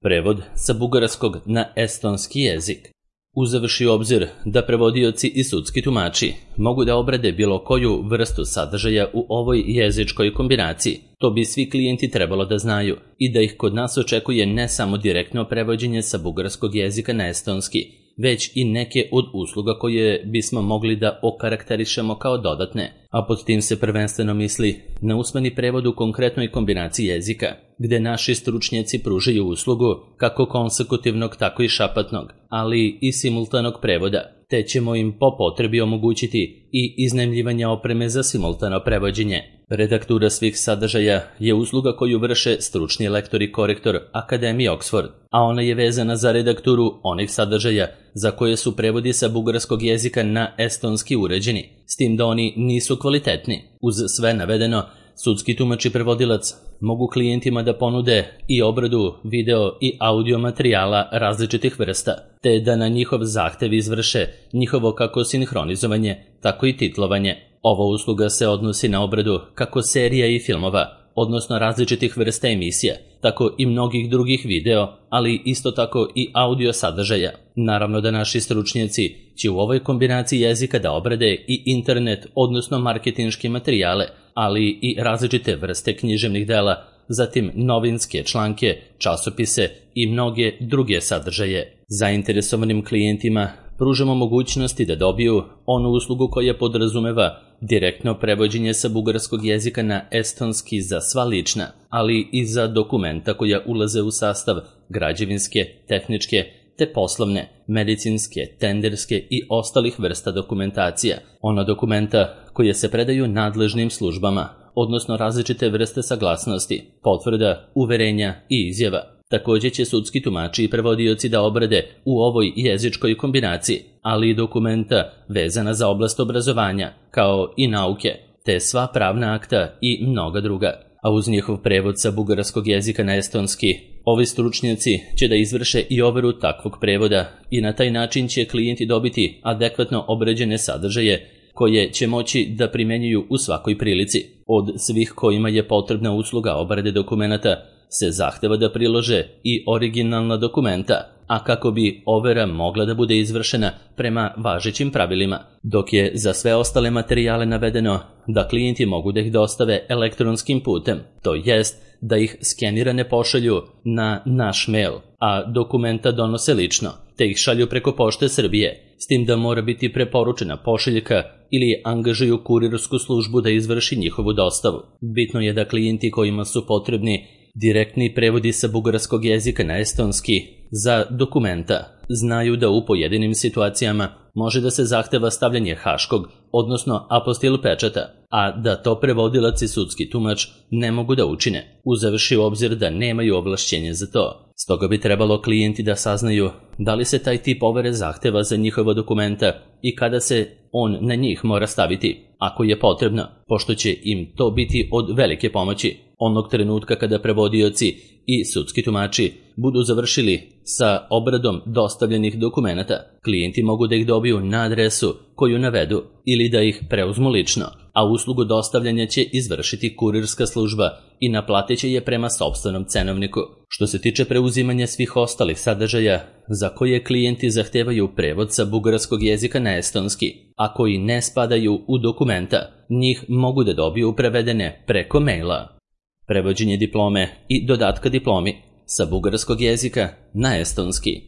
Prevod sa bugarskog na estonski jezik. Uzevši u obzir da prevodioci i sudski tumači mogu da obrade bilo koju vrstu sadržaja u ovoj jezičkoj kombinaciji, to bi svi klijenti trebalo da znaju i da ih kod nas očekuje ne samo direktno prevođenje sa bugarskog jezika na estonski, već i neke od usluga koje bismo mogli da okarakterišemo kao dodatne, a pod tim se prvenstveno misli na usmeni prevod u konkretnoj kombinaciji jezika, gde naši stručnjaci pružaju uslugu kako konsekutivnog, tako i šapatnog, ali i simultanog prevoda, te ćemo im po potrebi omogućiti i iznajmljivanje opreme za simultano prevođenje. Redaktura svih sadržaja je usluga koju vrše stručni lektor i korektor Akademije Oxford, a ona je vezana za redakturu onih sadržaja za koje su prevodi sa bugarskog jezika na estonski uređeni, s tim da oni nisu kvalitetni. Uz sve navedeno, sudski tumač i prevodilac mogu klijentima da ponude i obradu video i audio materijala različitih vrsta, te da na njihov zahtev izvrše njihovo kako sinhronizovanje, tako i titlovanje. Ova usluga se odnosi na obradu kako serija i filmova, odnosno različitih vrsta emisija, tako i mnogih drugih video, ali isto tako i audio sadržaja. Naravno da naši stručnjaci će u ovoj kombinaciji jezika da obrade i internet, odnosno marketinške materijale, ali i različite vrste književnih dela, zatim novinske članke, časopise i mnoge druge sadržaje. Zainteresovanim klijentima pružamo mogućnosti da dobiju onu uslugu koja podrazumeva direktno prevođenje sa bugarskog jezika na estonski za sva lična, ali i za dokumenta koja ulaze u sastav građevinske, tehničke, te poslovne, medicinske, tenderske i ostalih vrsta dokumentacija. Ona dokumenta koje se predaju nadležnim službama, odnosno različite vrste saglasnosti, potvrda, uverenja i izjava. Također će sudski tumači i prevodioci da obrade u ovoj jezičkoj kombinaciji, ali i dokumenta vezana za oblast obrazovanja, kao i nauke, te sva pravna akta i mnoga druga. A uz njihov prevod sa bugarskog jezika na estonski, ovi stručnjaci će da izvrše i overu takvog prevoda i na taj način će klijenti dobiti adekvatno obrađene sadržaje koje će moći da primenjuju u svakoj prilici. Od svih kojima je potrebna usluga obrade dokumenata se zahteva da prilože i originalna dokumenta, a kako bi overa mogla da bude izvršena prema važećim pravilima, dok je za sve ostale materijale navedeno da klijenti mogu da ih dostave elektronskim putem, to jest da ih skenirane pošalju na naš mail, a dokumenta donose lično, te ih šalju preko Pošte Srbije, s tim da mora biti preporučena pošiljka ili angažuju kurirsku službu da izvrši njihovu dostavu. Bitno je da klijenti kojima su potrebni direktni prevodi sa bugarskog jezika na estonski za dokumenta znaju da u pojedinim situacijama može da se zahteva stavljanje haškog, odnosno apostil pečata, a da to prevodilac i sudski tumač ne mogu da učine, uzevši u obzir da nemaju ovlašćenje za to. Stoga bi trebalo klijenti da saznaju da li se taj tip overe zahteva za njihova dokumenta i kada se on na njih mora staviti, ako je potrebno, pošto će im to biti od velike pomoći. Onog trenutka kada prevodioci i sudski tumači budu završili sa obradom dostavljenih dokumenata, klijenti mogu da ih dobiju na adresu koju navedu ili da ih preuzmu lično, a uslugu dostavljanja će izvršiti kurirska služba i naplatit će je prema sopstvenom cenovniku. Što se tiče preuzimanja svih ostalih sadržaja za koje klijenti zahtevaju prevod sa bugarskog jezika na estonski, a koji ne spadaju u dokumenta, njih mogu da dobiju prevedene preko maila. Prevođenje diplome i dodatka diplomi sa bugarskog jezika na estonski.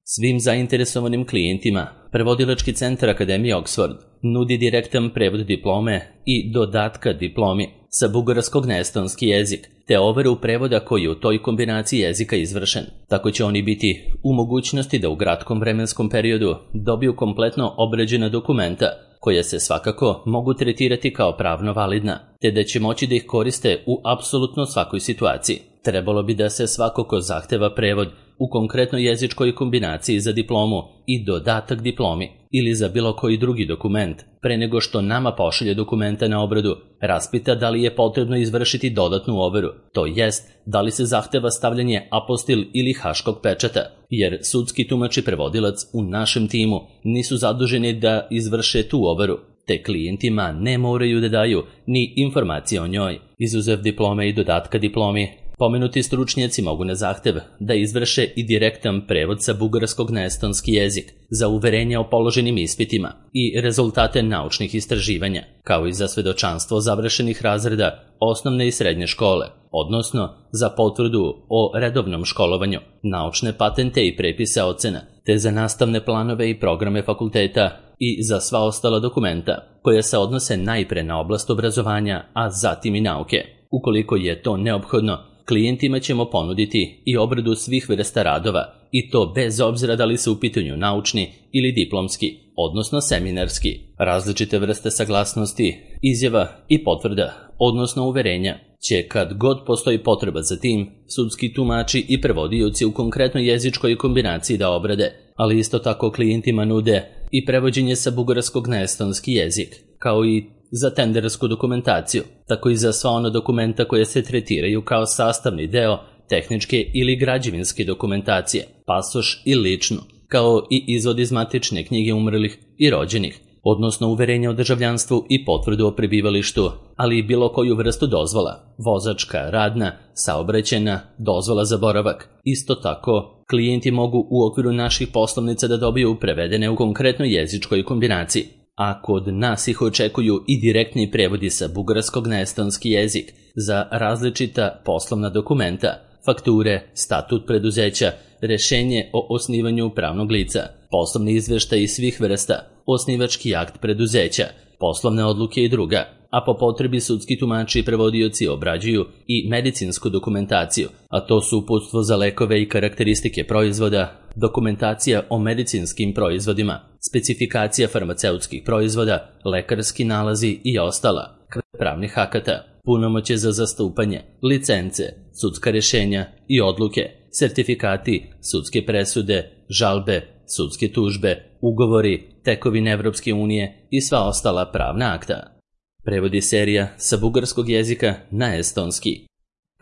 Svim zainteresovanim klijentima Prevodilački centar Akademije Oxford nudi direktan prevod diplome i dodatka diplomi sa bugarskog na estonski jezik, te overu prevoda koji je u toj kombinaciji jezika izvršen. Tako će oni biti u mogućnosti da u kratkom vremenskom periodu dobiju kompletno obrađena dokumenta, koja se svakako mogu tretirati kao pravno validna, te da će moći da ih koriste u apsolutno svakoj situaciji. Trebalo bi da se svako ko zahteva prevod u konkretnoj jezičkoj kombinaciji za diplomu i dodatak diplomi ili za bilo koji drugi dokument, pre nego što nama pošalje dokumenta na obradu, raspita da li je potrebno izvršiti dodatnu overu, to jest da li se zahteva stavljanje apostil ili haškog pečata, jer sudski tumač i prevodilac u našem timu nisu zaduženi da izvrše tu overu, te klijentima ne moraju da daju ni informacije o njoj. Izuzev diplome i dodatka diplomi, Pomenuti stručnjaci mogu na zahtev da izvrše i direktan prevod sa bugarskog na estonski jezik za uverenja o položenim ispitima i rezultate naučnih istraživanja, kao i za svedočanstvo završenih razreda osnovne i srednje škole, odnosno za potvrdu o redovnom školovanju, naučne patente i prepise ocena, te za nastavne planove i programe fakulteta i za sva ostala dokumenta koja se odnose najpre na oblast obrazovanja, a zatim i nauke. Ukoliko je to neophodno, klijentima ćemo ponuditi i obradu svih vrsta radova, i to bez obzira da li su u pitanju naučni ili diplomski, odnosno seminarski, različite vrste saglasnosti, izjava i potvrda, odnosno uverenja, će kad god postoji potreba za tim, sudski tumači i prevodioci u konkretnoj jezičkoj kombinaciji da obrade, ali isto tako klijentima nude i prevođenje sa bugarskog na estonski jezik, kao i za tendersku dokumentaciju, tako i za sva ona dokumenta koje se tretiraju kao sastavni deo tehničke ili građevinske dokumentacije, pasoš i ličnu, kao i izvod iz matične knjige umrlih i rođenih, odnosno uverenja o državljanstvu i potvrdu o prebivalištu, ali i bilo koju vrstu dozvola, vozačka, radna, saobraćajna, dozvola za boravak. Isto tako, klijenti mogu u okviru naših poslovnica da dobiju prevedene u konkretnoj jezičkoj kombinaciji, a kod nas ih očekuju i direktni prevodi sa bugarskog na estonski jezik za različita poslovna dokumenta, fakture, statut preduzeća, rešenje o osnivanju pravnog lica, poslovni izveštaj svih vrsta, osnivački akt preduzeća, poslovne odluke i druga, a po potrebi sudski tumači i prevodioci obrađuju i medicinsku dokumentaciju, a to su uputstvo za lekove i karakteristike proizvoda, dokumentacija o medicinskim proizvodima, specifikacija farmaceutskih proizvoda, lekarski nalazi i ostala, pravnih akata, punomoćje za zastupanje, licence, sudska rješenja i odluke, sertifikati, sudske presude, žalbe, sudske tužbe, ugovori, tekovine Evropske unije i sva ostala pravna akta. Prevodi serija sa bugarskog jezika na estonski.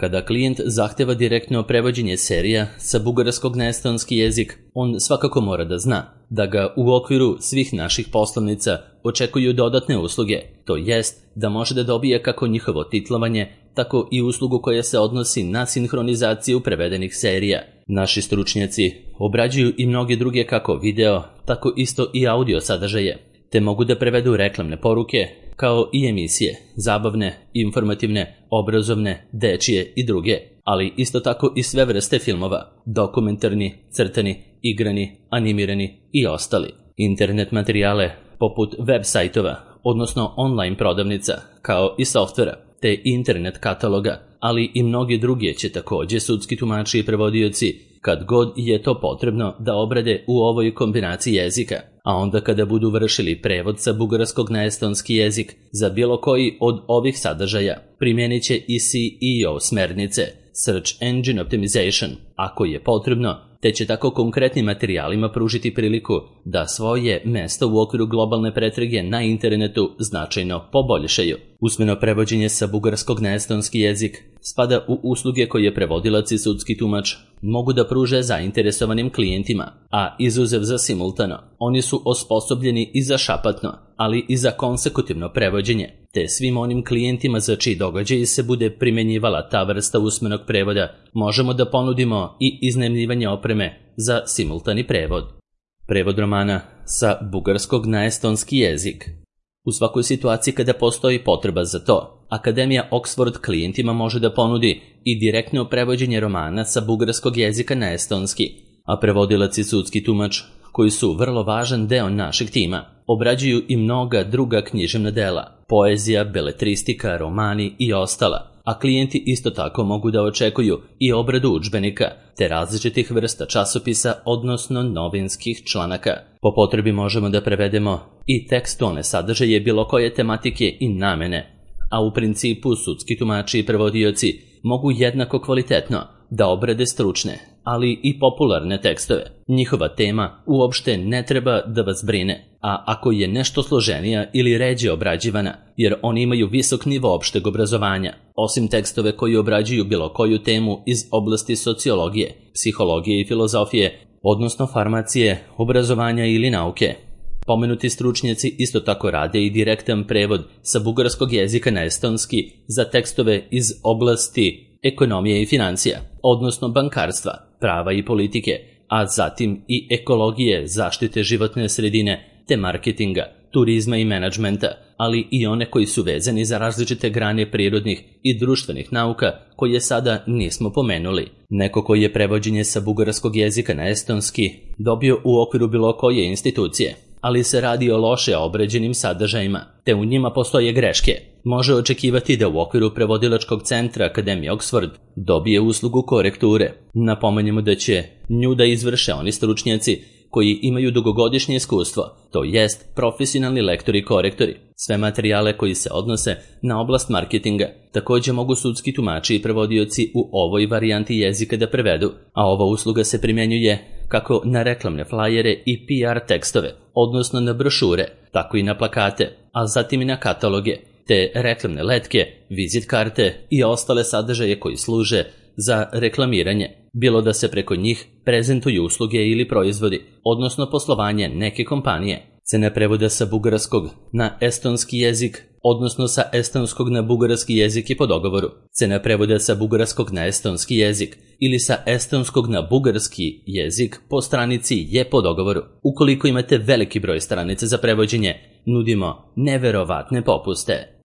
Kada klijent zahteva direktno prevođenje serija sa bugarskog na estonski jezik, on svakako mora da zna da ga u okviru svih naših poslovnica očekuju dodatne usluge, to jest da može da dobije kako njihovo titlovanje, tako i uslugu koja se odnosi na sinhronizaciju prevedenih serija. Naši stručnjaci obrađuju i mnoge druge kako video, tako isto i audio sadržaje, te mogu da prevedu reklamne poruke, kao i emisije, zabavne, informativne, obrazovne, dečije i druge, ali isto tako i sve vrste filmova, dokumentarni, crtani, igrani, animirani i ostali. Internet materijale poput web sajtova, odnosno online prodavnica, kao i softvera, te internet kataloga, ali i mnoge druge će također sudski tumači i prevodioci kad god je to potrebno da obrade u ovoj kombinaciji jezika, a onda kada budu vršili prevod sa bugarskog na estonski jezik za bilo koji od ovih sadržaja, primijenit će i SEO smernice, Search Engine Optimization, ako je potrebno, te će tako konkretnim materijalima pružiti priliku da svoje mesto u okviru globalne pretrage na internetu značajno poboljšaju. Usmeno prevođenje sa bugarskog na estonski jezik spada u usluge koje prevodilac i sudski tumač mogu da pruže zainteresovanim klijentima, a izuzev za simultano, oni su osposobljeni i za šapatno, ali i za konsekutivno prevođenje, te svim onim klijentima za čiji događaj se bude primjenjivala ta vrsta usmenog prevoda, možemo da ponudimo i iznajmljivanje opreme za simultani prevod. Prevod romana sa bugarskog na estonski jezik. U svakoj situaciji kada postoji potreba za to, Akademija Oxford klijentima može da ponudi i direktno prevođenje romana sa bugarskog jezika na estonski, a prevodilac i sudski tumač, koji su vrlo važan deo našeg tima, obrađuju i mnoga druga književna dela, poezija, beletristika, romani i ostala, a klijenti isto tako mogu da očekuju i obradu udžbenika, te različitih vrsta časopisa, odnosno novinskih članaka. Po potrebi možemo da prevedemo i tekstualne sadržaje bilo koje tematike i namene, a u principu sudski tumači i prevodioci mogu jednako kvalitetno da obrade stručne, ali i popularne tekstove. Njihova tema uopšte ne treba da vas brine, a ako je nešto složenija ili ređe obrađivana, jer oni imaju visok nivo opšteg obrazovanja, osim tekstove koji obrađuju bilo koju temu iz oblasti sociologije, psihologije i filozofije, odnosno farmacije, obrazovanja ili nauke. Pomenuti stručnjaci isto tako rade i direktan prevod sa bugarskog jezika na estonski za tekstove iz oblasti ekonomije i financija, odnosno bankarstva, prava i politike, a zatim i ekologije, zaštite životne sredine, te marketinga, turizma i menadžmenta, ali i one koji su vezani za različite grane prirodnih i društvenih nauka koje sada nismo pomenuli. Neko koji je prevođenje sa bugarskog jezika na estonski dobio u okviru bilo koje institucije, ali se radi o loše obrađenim sadržajima, te u njima postoje greške, može očekivati da u okviru prevodilačkog centra Akademije Oxford dobije uslugu korekture. Napomenjemo da će nju da izvrše oni stručnjaci koji imaju dugogodišnje iskustvo, to jest profesionalni lektori i korektori. Sve materijale koji se odnose na oblast marketinga također mogu sudski tumači i prevodioci u ovoj varijanti jezika da prevedu, a ova usluga se primjenjuje kako na reklamne flajere i PR tekstove, odnosno na brošure, tako i na plakate, a zatim i na kataloge, te reklamne letke, vizit karte i ostale sadržaje koji služe za reklamiranje, bilo da se preko njih prezentuju usluge ili proizvodi, odnosno poslovanje neke kompanije. Cena prevoda sa bugarskog na estonski jezik, odnosno sa estonskog na bugarski jezik je po dogovoru. Cena prevoda sa bugarskog na estonski jezik ili sa estonskog na bugarski jezik po stranici je po dogovoru. Ukoliko imate veliki broj stranica za prevođenje, nudimo neverovatne popuste.